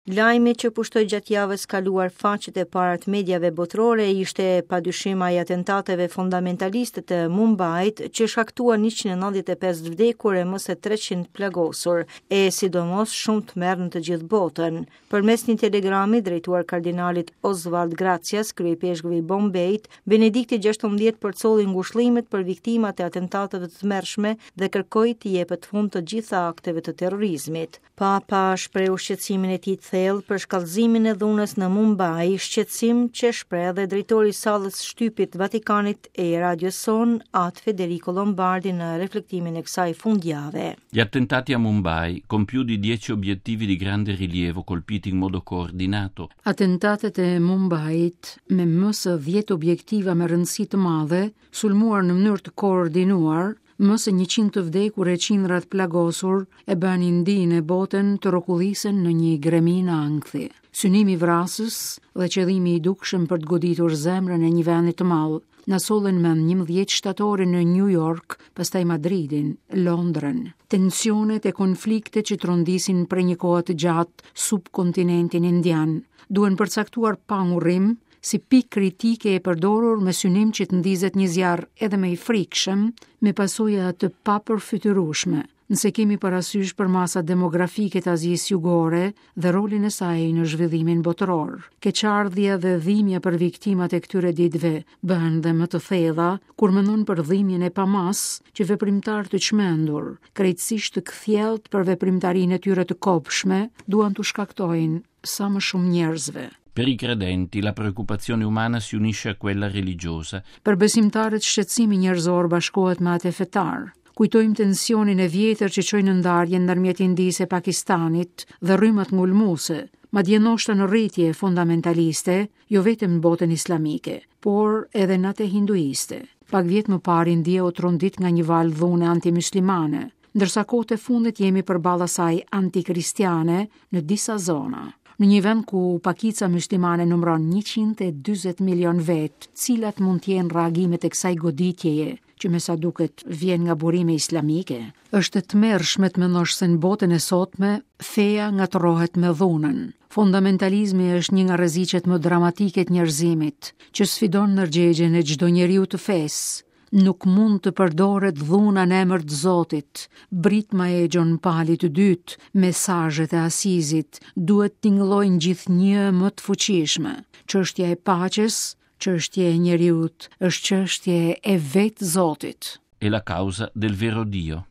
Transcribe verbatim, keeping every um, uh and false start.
Lajmi që pushtoi gjatë javës kaluar faqet e para të mediave botërore ishte padyshim ai atentateve fundamentaliste të Mumbait që shkaktuan njëqind e nëntëdhjetë e pesë vdekur e më se treqind plagosur, e sidomos shumë të merr në të gjithë botën. Përmes një telegrami drejtuar kardinalit Oswald Gracias, kryepeshkvi i Bombejt, Benedikti gjashtëmbëdhjetë përcolli ngushëllimet për viktimat e atentateve të tmerrshme dhe kërkoi të jepet fund të gjitha akteve të terrorizmit. Papa shprehu shqetësimin e tij të thellë për shkallëzimin e dhunës në Mumbai, shqetësim që shpreh edhe drejtori i sallës shtypit Vatikanit e radios son, At Federico Lombardi, në reflektimin e kësaj fundjave. Gli attentati a Mumbai, con più di dieci obiettivi di grande rilievo colpiti in modo coordinato. Atentatet e Mumbait me më se dhjetë objektiva me rëndësi të madhe, sulmuar në mënyrë të koordinuar, më se njëqind të vdekur e qindra të plagosur e bën Indinë e botën të rrokullisen në një greminë ankthi. Synimi vrasës dhe qëllimi i dukshëm për të goditur zemrën e një vendi të madh na sollën më njëmbëdhjetë shtatorin në New York, pastaj Madridin, Londrën. Tensionet e konfliktet që trondisin prej një kohe të gjatë subkontinentin indian duhen përcaktuar pa ngurrim si pikë kritike e përdorur me synim që të ndizet një zjarr edhe më i frikshëm, me pasoja të papërfytyrueshme, nëse kemi parasysh për masat demografike të Azisë Jugore dhe rolin e saj në zhvillimin botëror. Keqardhja dhe dhimbja për viktimat e këtyre ditëve bëhen dhe më të thella kur mendon për dhimbjen e pamas që veprimtar të çmendur, krejtësisht të kthjellët për veprimtarinë e tyre të kobshme, duan t'u shkaktojnë sa më shumë njerëzve. Per i credenti la preoccupazione umana si unisce a quella religiosa. Për besimtarët shqetësimi njerëzor bashkohet me atë fetar. Kujtojmë tensionin e vjetër që çoi në ndarjen ndërmjet Indisë e Pakistanit dhe rrymat ngulmuese, madje ndoshta në rritje fundamentaliste, jo vetëm në botën islamike, por edhe në atë hinduiste. Pak vjet më parë India u trondit nga një valë dhune antimuslimane, ndërsa kohët e fundit jemi përballë asaj antikristiane në disa zona. Në një vend ku pakica muslimane numëron njëqind e dyzet milion vet, cilat mund të jenë reagimet e kësaj goditjeje, që me sa duket vjen nga burime islamike? Është e tmerrshme të mendosh se në botën e sotme feja ngatërrohet me dhunën. Fundamentalizmi është një nga rreziqet më dramatike të njerëzimit, që sfidon ndërgjegjen e çdo njeriu të fesë. Nuk mund të përdoret dhuna në emër të Zotit. Britma e Gjon Palit të dytë, mesazhet e Asizit, duhet tingëllojnë gjithnjë më të fuqishme. Çështja e paqes, çështja e njeriut, është çështje e vetë Zotit. È la causa del vero Dio.